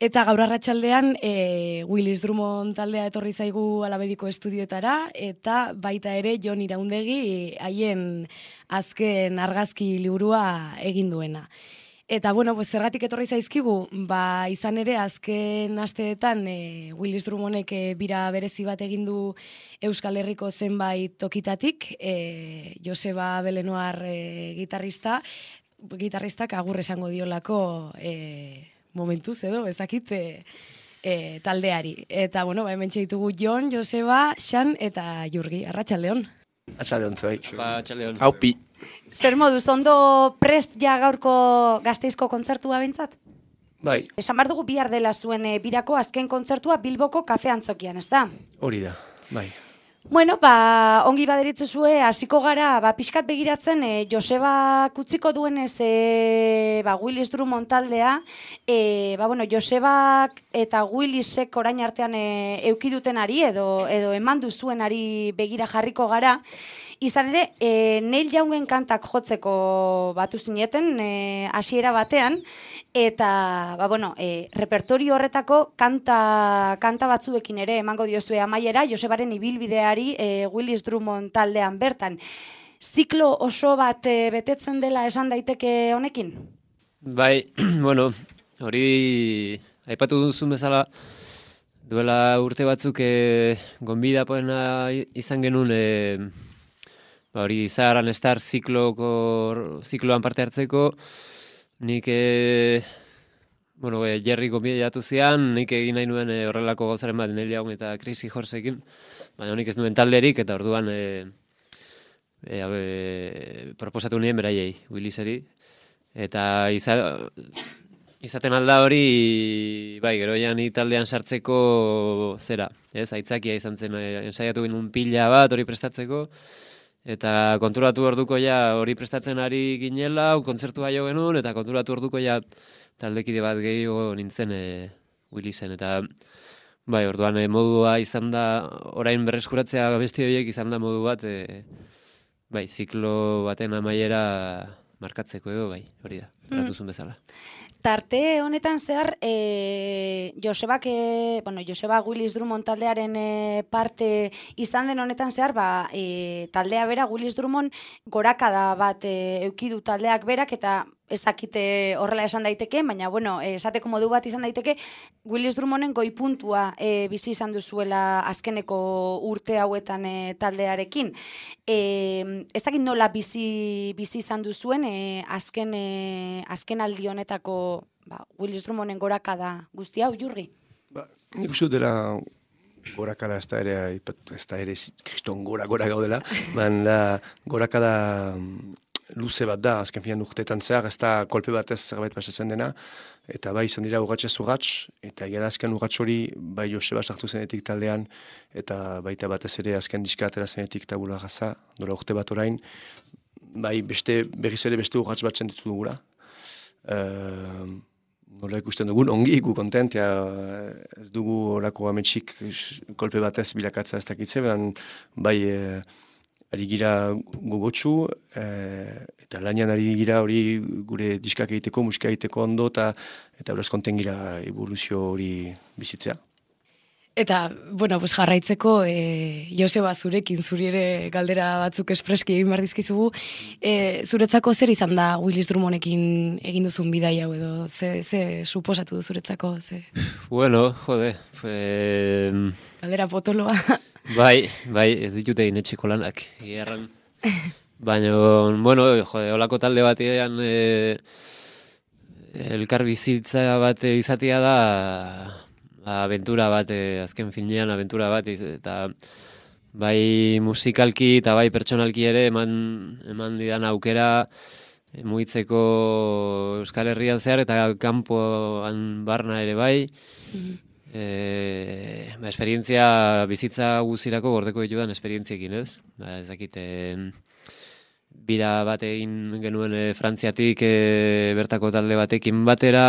Eta gaur arratsaldean Willis Drummond taldea etorri zaigu Alabediko estudioetara, eta baita ere Jon Iraundegi haien azken argazki liburua egin duena. Eta bueno, pues zergatik etorri zaizkigu, izan ere azken asteetan Willis Drummondek bira berezi bat egin du Euskal Herriko zenbait tokitatik, Joseba Belenoar gitarristak agur esango diolako momentuz edo, ezakit taldeari. Eta bueno, hemen ditugu Jon, Joseba, Xan eta Jurgi. Arratsaldeon. Arratsaldeon zuei. Arratsaldeon. Aupi. Zer moduz, ondo prest ja gaurko Gasteizko kontzertua behintzat? Bai. Esan behar dugu bihar dela zuen birako azken kontzertua Bilboko Kafe Antzokian, ez da? Hori da, bai. Bueno, ongi baderitzezue, hasiko gara, pixkat begiratzen, Joseba kutziko duenez, Willis Drummond taldea, Josebak eta Willisek orain artean eukidutenari edo eman duzuenari begira jarriko gara. Izan ere, Neil Youngen kantak jotzeko batu zineten, hasiera batean, eta, repertorio horretako kanta batzuekin ere emango diozue amaiera, Josebaren ibilbideari Willis Drummond taldean bertan. Ziklo oso bat betetzen dela esan daiteke honekin? Bai, hori aipatu duzun bezala, duela urte batzuk gonbidapoena izan genuen hori Saharan Star zikloan parte hartzeko, nik Jerry gonbidatu zian, nik egin nahi nuen horrelako gauzaren bat Neil Young eta Crazy Horseekin, baina nik ez nuen talderik, eta orduan proposatu nien beraiei, Williseri, eta izaten alda hori, gero ni taldean sartzeko zera, aitzakia izan zen, ensaiatu ginen pila bat hori prestatzeko, eta konturatu orduko hori prestatzen ari ginela, kontzertua jo genuen, eta konturatu orduko taldekide bat gehiago nintzen Willisen, eta orduan modua izan da, orain berreskuratzea besti horiek izan da modu bat, ziklo baten amaiera markatzeko edo, hori da, eratuzun bezala. Tarte honetan zehar, Joseba Willis Drummond taldearen parte izan den honetan zehar, taldea bera, Willis Drummond gorakada bat eukidu taldeak berak, eta ezakite horrela esan daiteke, baina, esateko modu bat izan daiteke, Willis Drummonden goipuntua bizi izan duzuela azkeneko urte hauetan taldearekin. Ezakit nola bizi izan duzuen azken aldi honetako Willis Drummonden gorakada guzti hau, Jurgi? Nik uste dela gorakada ez da ere kriston gora gaudela, baina gorakada luze bat da, azken finan urteetan zehar, ez da kolpe batez zerbait pasatzen dena, eta izan dira urratxez urratx, eta egia da azken urratx hori, Joseba sartu zenetik taldean, eta baita batez ere azken diska atera zenetik tabula gaza, dola urte bat orain, berriz ere beste urratx bat sentitu dugula. Nola ikusten dugun, ongi, gu kontent, ez dugu horako ametsik kolpe batez bilakatza ez dakitze, ari gira gogotsu, eta lanian ari gira hori gure diskak egiteko, musika egiteko ondo, eta horaz konten gira evoluzio hori bizitzea. Eta, jarraitzeko, Joseba zurekin, zuri ere galdera batzuk espreski egin behar dizkizugu, zuretzako zer izan da Willis Drummondekin egin duzun bidai hau edo, ze suposatu du zuretzako? Galdera potoloa. Bai, ez ditute egin etxeko lanak, egerran. Baina, holako talde batean elkar bizitza bat izatea da abentura bat, azken finean abentura bat, eta bai musikalki eta bai pertsonalki ere eman didan aukera mugitzeko Euskal Herrian zehar eta kanpoan barna ere bai. Esperientzia bizitza guzirako gordeko ditudan esperientziekin, ez? Ezakite, bira bat egin genuen Frantziatik bertako talde batekin batera,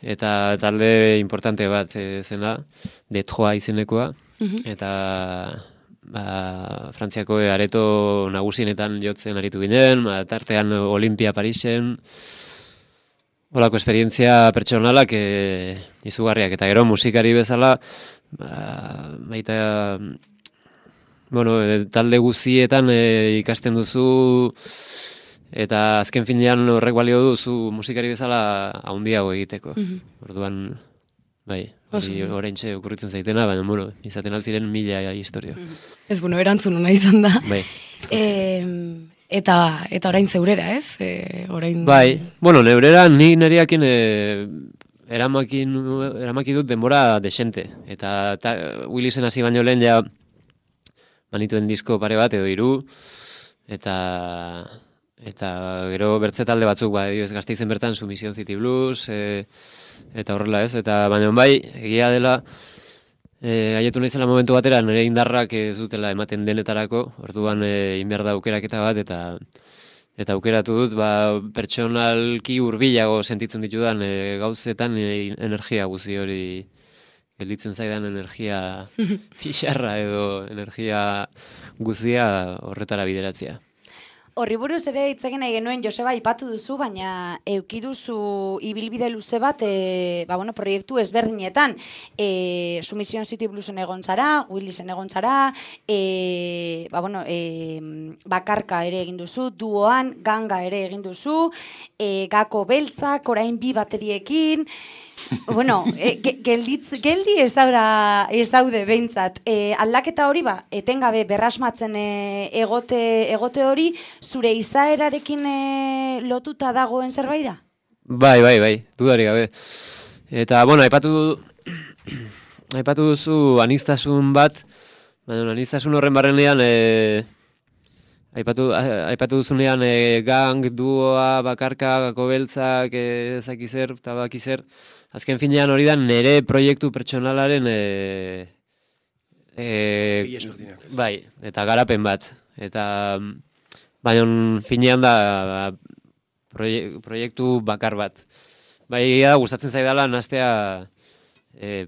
eta talde importante bat zena, Detroit izenekoa, eta Frantziako areto nagusienetan jotzen aritu ginen, tartean Olimpia Parisen, Olako esperientzia pertsonalak izugarriak, eta gero musikari bezala, baita, talde guzietan ikasten duzu, eta azken finean horrek balio duzu musikari bezala handiago egiteko. Orduan, bai, oraintxe okurritzen zaitena, baina, izaten altziren 1000 historia. Ez, erantzun hona izan da. Bai. Eta orain zeurera, ez? Orain... Bai, neurera ni neriakin eramaki dut denbora desente. Eta Willisen hasi baino lehen ja manituen disko pare bat edo 3, eta gero bertze talde batzuk, ez Gasteizen bertan, Submission City Blues, eta horrela ez, eta baina bai, egia dela, haietu naizela momentu batera, nire indarrak ez dutela ematen denetarako, orduan inbehar da aukeraketa bat, eta aukeratu dut, pertsonalki hurbilago sentitzen ditudan gauzetan energia guzi hori, gelditzen zaidan energia pixarra edo energia guzia horretara bideratzea. Horri buruz ere hitz egin nahi genuen, Joseba, aipatu duzu, baina eduki duzu ibilbide luze bat, proiektu ezberdinetan. Submission City Bluesen egon zara, Willisen egon zara, bakarka ere egin duzu, duoan, ganga ere egin duzu, gako beltzak, orain 2 bateriekin, geldi ez daude behintzat. Aldaketa hori, etengabe berrasmatzen egote hori, zure izaerarekin lotuta dagoen zerbait da? Bai, dudari gabe. Eta, aipatu duzu aniztasun bat, baina aniztasun horren barrenean, aipatu duzunean gang, duoa, bakarka, gako beltzak, ezakizer, eta bakizer, azken finean hori da nire proiektu pertsonalaren bai, eta garapen bat. Eta baina finean da proiektu bakar bat. Bai, gustatzen zaidala nastea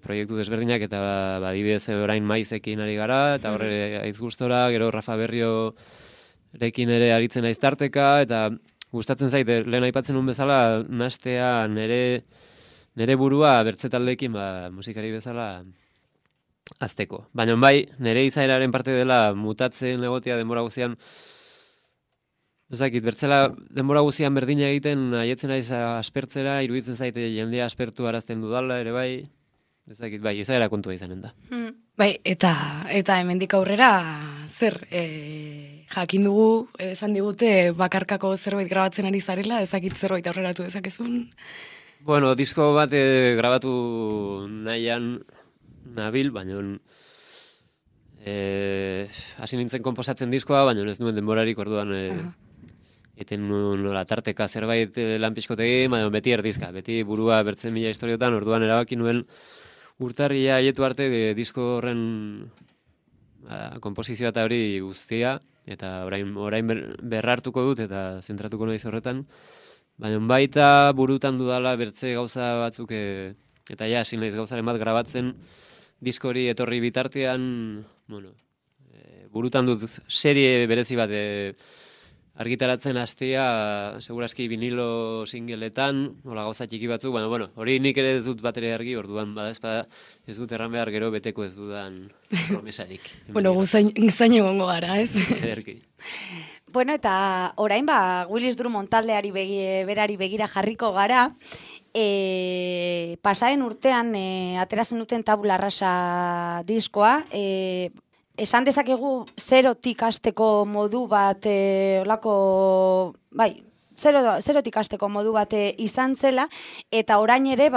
proiektu desberdinak, eta adibidez orain Maizekin ari gara, eta horre aiz gustora, gero Rafa Berriorekin ere aritzen naiz tarteka, eta gustatzen zaite, lehen aipatzen un bezala, nastea nire burua bertze taldeekin musikari bezala azteko. Baina bai, nire izaeraren parte dela mutatzen egotea denbora guzian, ezakit, bertzela denbora guzian berdina egiten, haietzen naiz aspertzera, iruditzen zaite jendea aspertu arazten dudala, ere bai, ezakit, bai, izaera kontua izanen da. Bai, eta hemendik aurrera, zer, jakin dugu, esan digute, bakarkako zerbait grabatzen ari zarela, ezakit zerbait aurreratu dezakezun? Disko bat grabatu nahian nabil, baina hasi nintzen konposatzen diskoa, baina ez nuen denborarik orduan eten nola tarteka zerbait lan pixkotegi, baina beti erdizka, beti burua bertzen 1000 historiotan, orduan erabaki nuen urtarria haietu arte disko horren konposizioa eta hori guztia, eta orain berrartuko dut eta zentratuko naiz horretan. Baina baita burutan dudala bertze gauza batzuk, eta hasi naiz gauzaren bat grabatzen diskori etorri bitartean, burutan dut serie berezi bat argitaratzen hastea, segurazki vinilo singleetan, hola gauza txiki batzuk, baina hori nik ere ez dut bat ere argi, orduan bada ez dut erran behar gero beteko ez dudan promesarik. Zain egongo gara, ez? Ederki. Eta orain Willis Drummond taldeari berari begira jarriko gara, pasaren urtean ateratzen duten Tabula Rasa diskoa, esan dezakegu zerotik hasteko modu bat, zerotik hasteko modu bat izan zela, eta orain ere,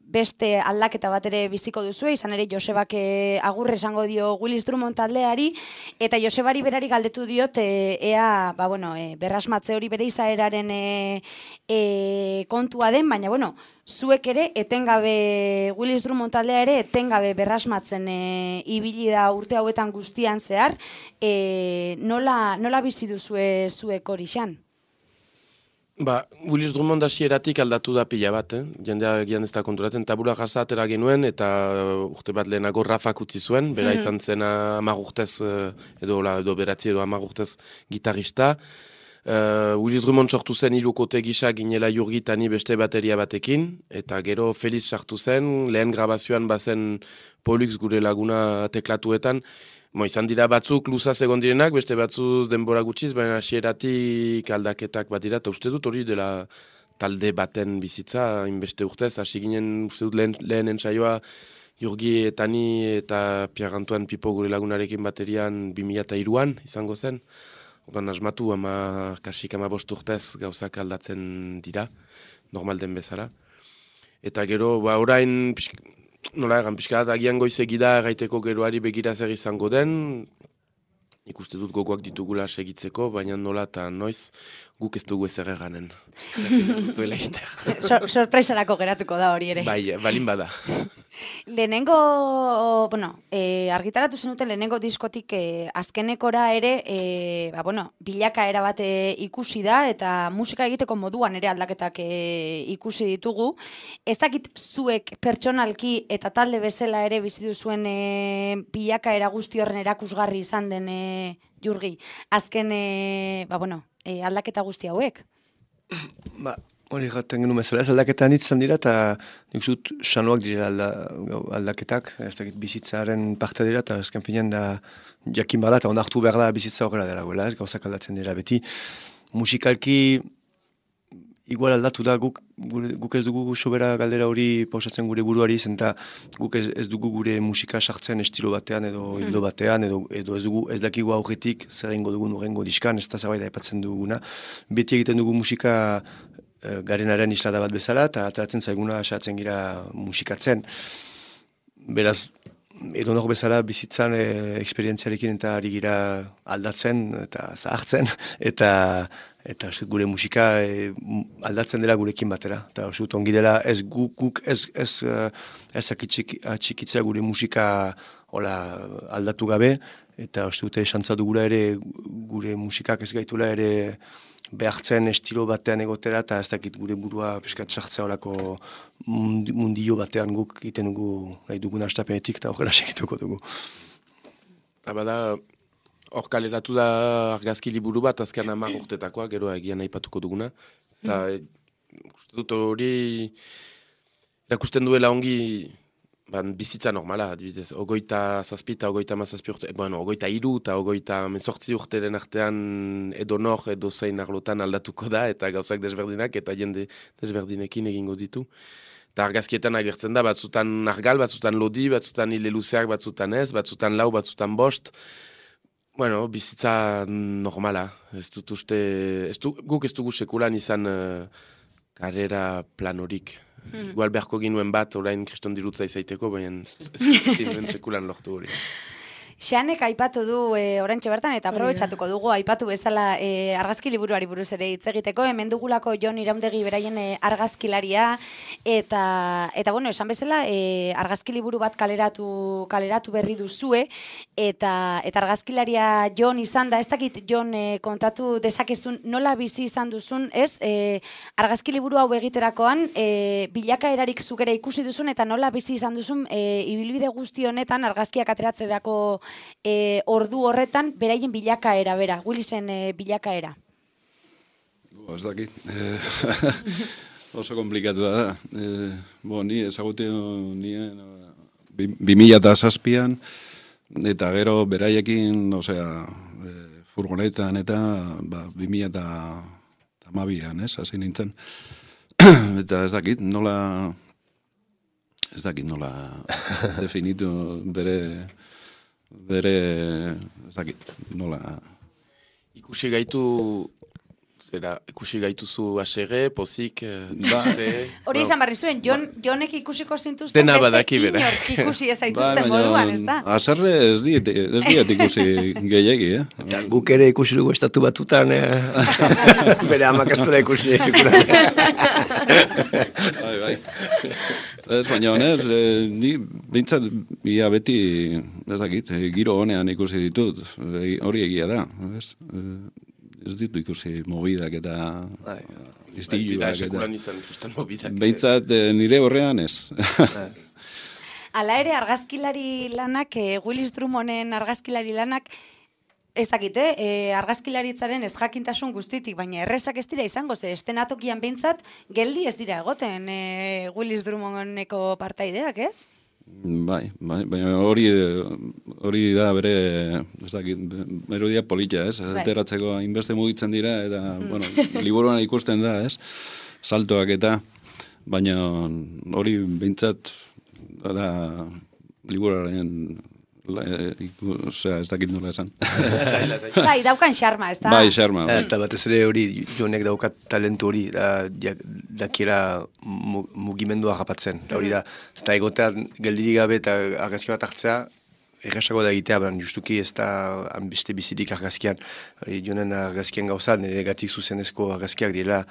beste aldaketa bat ere biziko duzu, izan ere Josebak agurre esango dio Willis Drummond taldeari, eta Josebari berari galdetu diot, berrasmatze hori bere izaeraren kontua den, baina, zuek ere, etengabe, Willis Drummond taldea ere, etengabe berrasmatzen ibili da urte hauetan guztian zehar, nola bizi duzue zuek hori xan? Willis Drummond hasieratik aldatu da pila bat, jendea gian ez da konturatzen, Tabula Rasa atera genuen, eta urte bat lehenago Rafak utzi zuen, bera izan zena 10 urtez, edo beratzi edo 10 urtez gitarrista. Willis Drummond sortu zen hirukote gisa ginela Jurgi eta ni beste bateria batekin, eta gero Felix sartu zen, lehen grabazioan bazen Pollux gure laguna teklatuetan, izan dira batzuk luzaz egon direnak, beste batzuz denbora gutxiz, baina hasieratik aldaketak bat dira, eta uste dut hori dela talde baten bizitza, inbeste urtez, hasi ginen uste dut lehen entsaioa Jurgi eta ni eta Pierre Antoine Pipo gure lagunarekin baterian 2003an izango zen. Ordan asmatu kasik 15 urtez gauzak aldatzen dira, normal den bezala. Eta gero, orain, nola egan, pixka bat agian goizegida gaiteko geroari begira zer izango den, ikuste dut gogoak ditugula segitzeko, baina nola eta noiz guk ez dugu ezer eganen. Zuela izter. Sorpresarako geratuko da hori ere. Bai, balin bada. Lehenengo, argitaratu zenuten lehenengo diskotik azkenekora ere, bilakaera bat ikusi da, eta musika egiteko moduan ere aldaketak ikusi ditugu. Ez dakit zuek pertsonalki eta talde bezala ere bizi duzuen bilakaera guzti horren erakusgarri izan den Jurgi, azken aldaketa guzti hauek? Hori gaten genuen bezala, ez aldaketan izan dira, eta nik zut sanoak direla aldaketak, ez dakit bizitzaren parte dira, eta ezken finean da jakin bada, eta onartu behar da bizitza horrela dela, ez gauzak aldatzen dira beti. Musikalki igual aldatu da, guk ez dugu sobera galdera hori pausatzen gure buruari, zenta guk ez dugu gure musika sartzen estilo batean edo hildo batean, edo ez dakigu aurretik zer egingo dugun urrengo diskan, ez da zerbait aipatzen duguna. Beti egiten dugu musika garenaren islada bat bezala, eta ateratzen zaiguna asatzen gira musikatzen. Beraz, edo nor bezala bizitzan eksperientziarekin eta ari gira aldatzen eta zahartzen, eta gure musika aldatzen dela gurekin batera. Eta ongi dela ez guk ez atxikitzea gure musika aldatu gabe, eta dute esantza dugula ere gure musikak ez gaitula ere behartzen estilo batean egotera, eta ez dakit gure burua piskat sartzea horako mundio batean guk egiten dugu nahi dugun hastapenetik, eta horrela segituko dugu. Bada, hor kaleratu da argazki liburu bat, azken 10 urtetakoa, gero egian aipatuko duguna. Eta uste dut hori erakusten duela ongi bizitza normala, adibidez, 27 eta 37 urte, 23 eta 28 urteren artean edonor edo zein arlotan aldatuko da, eta gauzak desberdinak, eta jende desberdinekin egingo ditu. Eta argazkietan agertzen da, batzutan argal, batzutan lodi, batzutan hile luzeak, batzutan ez, batzutan lau, batzutan bost. Bizitza normala. Guk ez dugu sekulan izan karrera plan horik. Igual beharko ginuen bat, orain kriston dirutza izaiteko, baina ez sekulan lortu hori. Xanek aipatu du oraintxe bertan, eta aprobetxatuko dugu aipatu bezala argazki liburuari buruz ere hitz egiteko, hemen dugulako Jon Iraundegi beraien argazkilaria, eta esan bezala argazki liburu bat kaleratu berri duzue, eta argazkilaria Jon izan da, ez dakit Jon kontatu dezakezun nola bizi izan duzun, ez? Argazki liburu hau egiterakoan bilakaerarik zuk ere ikusi duzun, eta nola bizi izan duzun ibilbide guzti honetan argazkiak ateratzerako ordu horretan beraien bilakaera bera, Willisen bilakaera. Ez dakit. Oso komplikatu da. Ni ezagutu nien 2007an, eta gero beraiekin, furgonetan eta 2012an, hasi nintzen. Eta ez dakit nola definitu bere ez dakit nola. Ikusi gaituzu asere, pozik, hori izan barri zuen, Jonek ikusiko zintuzten dena badaki bera. Inork ikusi ez zaituzten moduan, ez da? Aserre ez diet ikusi gehiagi, Guk ere ikusi dugu estatu batutan, bere amak ez duela ikusi. Bai. Ez, baina honez, ni bintzat ia beti, ez dakit, giro honean ikusi ditut, hori egia da, ez ditu ikusi mobidak eta istiluak eta... Bintzat nire horrean ez. Hala ere, argazkilari lanak, Willis Drummonden argazkilari lanak, Ez dakite, argazkilaritzaren ez jakintasun guztitik, baina erresak ez dira izango, ze estenatokian behintzat geldi ez dira egoten Willis Drummondeko partaideak, ez? Bai, baina hori da bere, ez dakit, melodia polita, ez? Ateratzeko hainbeste mugitzen dira, eta, bueno, liburuan ikusten da, ez? Saltoak eta, baina hori behintzat, da, liburuaren ez dakit nola esan. Bai, daukan xarma, ez da? Bai, xarma. Ez da batez ere hori, Jonek daukat talentu hori, dakiela mugimendua japatzen. Hori da, ez da egotean geldirik gabe eta argazki bat hartzea, errasago da egitea, baina justuki ez da beste bizitik argazkian. Jonen argazkian gauza, nire gatik zuzenezko argazkiak direla,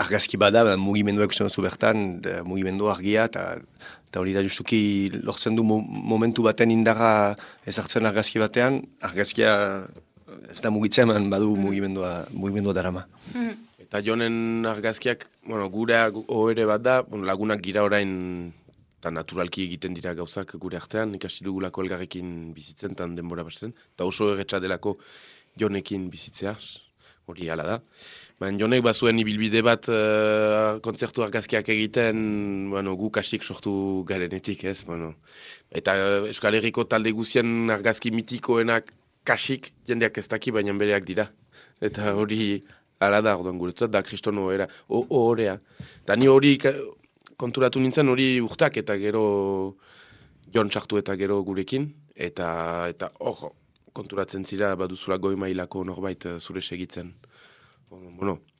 argazki bada, mugimenduak usten duzu bertan, mugimendu argia, eta hori da justuki lortzen du momentu baten indarra ezartzen argazki batean, argazkia ez da mugitzen, badu mugimendua darama. Eta Jonen argazkiak, gure ohore bat da, lagunak gira orain eta naturalki egiten dira gauzak gure artean, ikasi dugulako elgarrekin bizitzen, tan denbora batzen, eta oso erretxa delako Jonekin bizitzea, hori hala da. Baina Jonek bazuen ibilbide bat kontzertu argazkiak egiten, gu kasik sortu garenetik, ez? Eta Euskal Herriko talde guzien argazki mitikoenak kasik jendeak ez daki, baina bereak dira. Eta hori hala da, orduan guretzat, da kriston ohorea. Eta ni hori konturatu nintzen hori urtak eta gero Jon sartu eta gero gurekin. Eta konturatzen zira baduzula goi mailako norbait zure segitzen.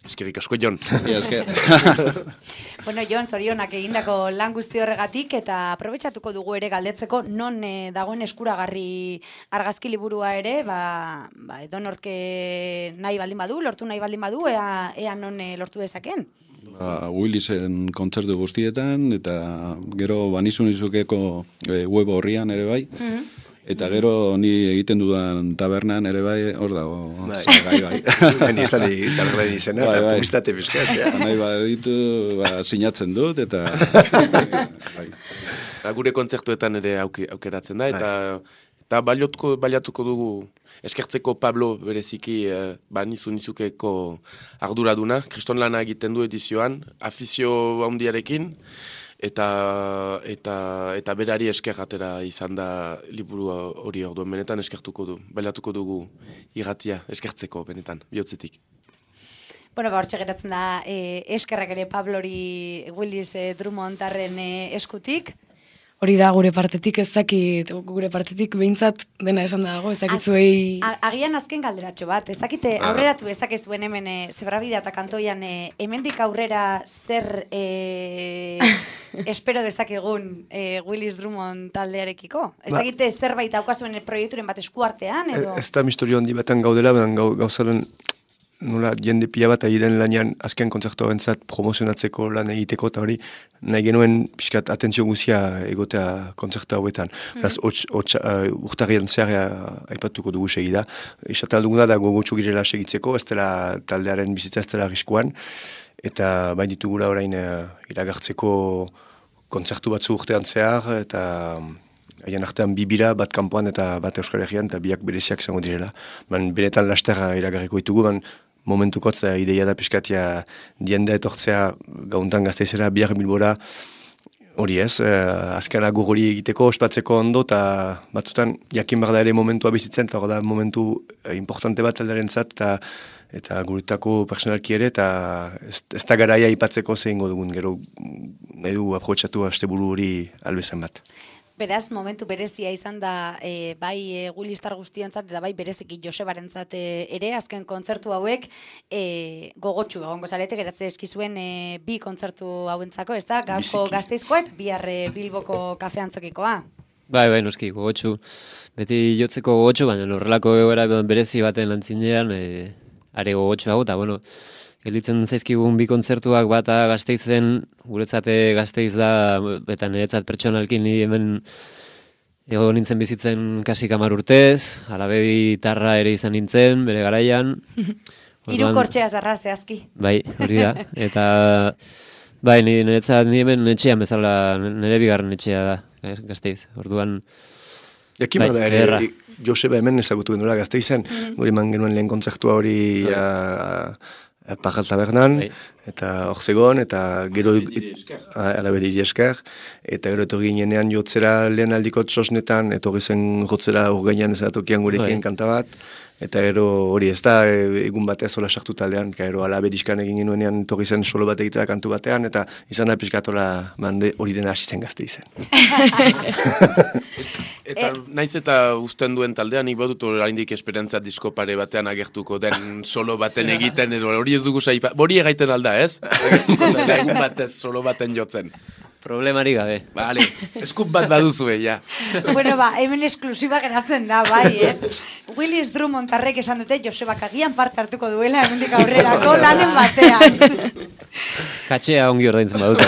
Eskerrik asko, Jon. Esker. Jon, zorionak egindako lan guzti horregatik, eta aprobetxatuko dugu ere galdetzeko non dagoen eskuragarri argazki liburua ere, edonork nahi baldin badu, lortu nahi baldin badu, ea non lortu dezaken? Willisen kontzertu guztietan, eta gero banizunizukeko web horrian ere bai. Eta gero ni egiten dudan tabernan ere bai, hor dago. Bai. Baina izan tabernan izena, eta publizitate bizkat. Nahi ditu, sinatzen dut, eta... Gure kontzertuetan ere aukeratzen da, eta baliatuko dugu eskertzeko Pablo bereziki banizunizukeko arduraduna, kriston lana egiten du edizioan, afizio handiarekin, eta berari esker atera izan da liburu hori orduan benetan eskertuko du, bailatuko dugu irratia eskertzeko benetan, bihotzetik. Hortxe geratzen da eskerrak ere Pablori Willis Drummondaren eskutik. Hori da, gure partetik behintzat dena esan dago, ez dakitzuei... Agian azken galderatxo bat, ez dakite aurreratu ezakezuen hemen Zebrabidea eta kantoian hemendik aurrera zer espero dezakegun Willis Drummond taldearekiko? Ez dakite zerbait daukazuen proiekturen bat eskuartean edo? Ez da misterio handi baten gaudela, gauzaren nola jende pila bat egiten lanean azken kontzertu bentzat promozionatzeko lan egiteko eta hori nahi genuen pixkat atentzio guzia egotea kontzertu hauetan. Urtarrian zehar aipatuko dugu segida. Esaten duguna da gogotxo girela segitzeko, ez dela taldearen bizitza ez dela arriskuan. Eta bain ditugula orain iragartzeko kontzertu batzu urtean zehar eta haien artean bibira, bat kanpoan eta bat Euskal Herrian, eta biak bereziak izango direla. Benetan lasterra iragarriko ditugu, momentukotz ideia da pixkatia dienda etortzea gauntan Gasteizera, biak Bilbora, hori ez, azken agur hori egiteko, ospatzeko ondo, eta batzutan jakin behar da ere momentua bizitzen, eta hori da momentu importante bat aldaren zat, eta guretako personalki ere, eta ez da garaia ipatzeko zehingo dugun, gero nahi du aprobetxatu asteburu hori albezen bat. Beraz, momentu berezia izan da bai Willistar guztiontzat eta bai bereziki Josebarentzat ere, azken kontzertu hauek gogotsu egongo zarete, geratze eskizuen bi kontzertu hauentzako, ez da? Gaurko Gasteizkoa eta bihar Bilboko kafeantzokikoa. Bai, noski, gogotsu. Beti jotzeko gogotsu, baina horrelako egoera berezi baten lantzinean, are gogotsu hau, eta gelditzen zaizkigun bi kontzertuak bata Gasteizen, guretzate Gasteiz da, eta niretzat pertsonalkin ni hemen egon nintzen bizitzen kasi 10 urtez, alabedi tarra ere izan nintzen, bere garaian. Hirukortxea zarra zehazki. Bai, hori da. Eta bai, niretzat ni hemen etxean bezala, nire bigarren etxea da, Gasteiz. Orduan... Jakin Bai, bada ederra. ere, Joseba hemen ezagutu genuela Gasteizen, guri eman genuen lehen kontzertua hori Pagal Tabernan, Bai. eta hor zegoen, eta gero alabedi esker, eta gero etorri ginean jotzera lehen aldiko txosnetan, etorri zen jotzera urgainan ezatokian gurekin Bai. kanta bat, eta gero hori ez da egun batez hola sartu taldean, gero alabediskan egin genuenean etorri zen solo bat egitera kantu batean, eta izan da pixkatola hori dena hasi zen Gasteizen. Eta naiz eta uzten duen taldean, nik badut oraindik esperantza disko pare batean agertuko den solo baten egiten, edo hori ez dugu saipa, hori egaiten alda, ez? Agertuko zela egun batez solo baten jotzen. Problemari gabe. Vale, eskup bat baduzue, ja. Bueno, hemen esklusiba geratzen da, bai, Willis Drummondarrek esan dute Josebak agian parte hartuko duela hemendik aurrerako lanen batean. Katxea ongi ordaintzen badut.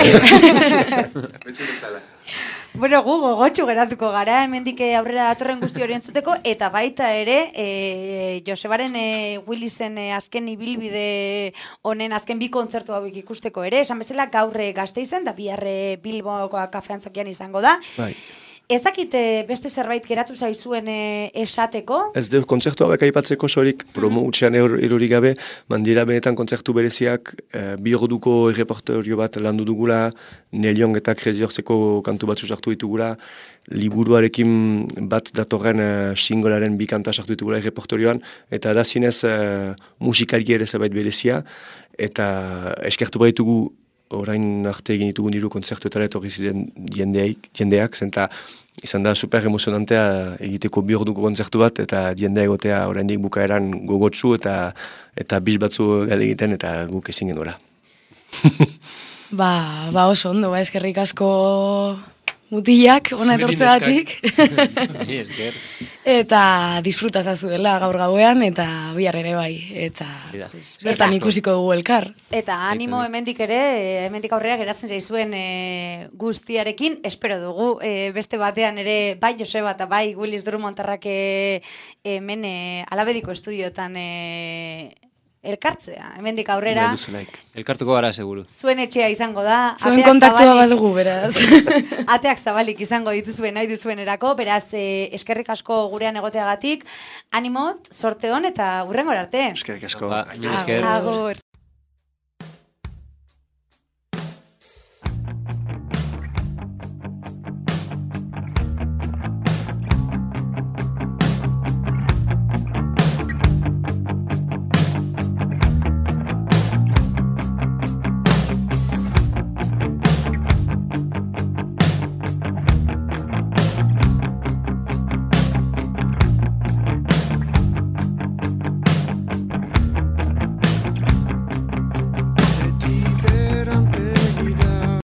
Bueno, gu gogotsu geratuko gara hemendik aurrera datorren guzti hori entzuteko, eta baita ere Josebaren Willisen azken ibilbide honen azken bi kontzertu hauek ikusteko ere, esan bezala gaur Gasteizen, da bihar Bilboko kafeantzokian izango da. Bai. Ez dakit beste zerbait geratu zaizuen esateko? Ez dut kontzertu hauek aipatzeko sorik promo utxean erorik gabe, mandira benetan kontzertu bereziak bi orduko erreportorio bat landu dugula, Neliong eta Kreziorzeko kantu batzu sartu ditugula, liburuarekin bat datorren singolaren bi kanta sartu ditugula erreportorioan, eta da zinez musikari ere zabait berezia, eta eskertu baitugu orain arte egin ditugun hiru kontzertuetara etorri ziren jendeak, zenta izan da super emozionantea egiteko bi orduko kontzertu bat, eta jendea egotea oraindik bukaeran gogotsu eta bis batzu gale egiten, eta guk ezin genuela. Ba oso ondo, eskerrik asko mutilak, ona etortzeagatik. Esker. Eta disfrutazazu dela gaur gauean, eta bihar ere bai. Eta bertan ikusiko dugu elkar. Eta animo hemendik ere, hemendik aurrera geratzen zaizuen guztiarekin, espero dugu beste batean ere, bai Joseba eta bai Willis Drummondarrak hemen alabediko estudiotan elkartzea, hemendik aurrera. Elkartuko gara, seguru. Zuen etxea izango da. Zuen kontaktua badugu, beraz. Ateak zabalik izango dituzuen nahi duzuenerako, beraz eskerrik asko gurean egoteagatik, animot, sorte hon eta hurrengora arte. Eskerrik asko. Esker. Agur.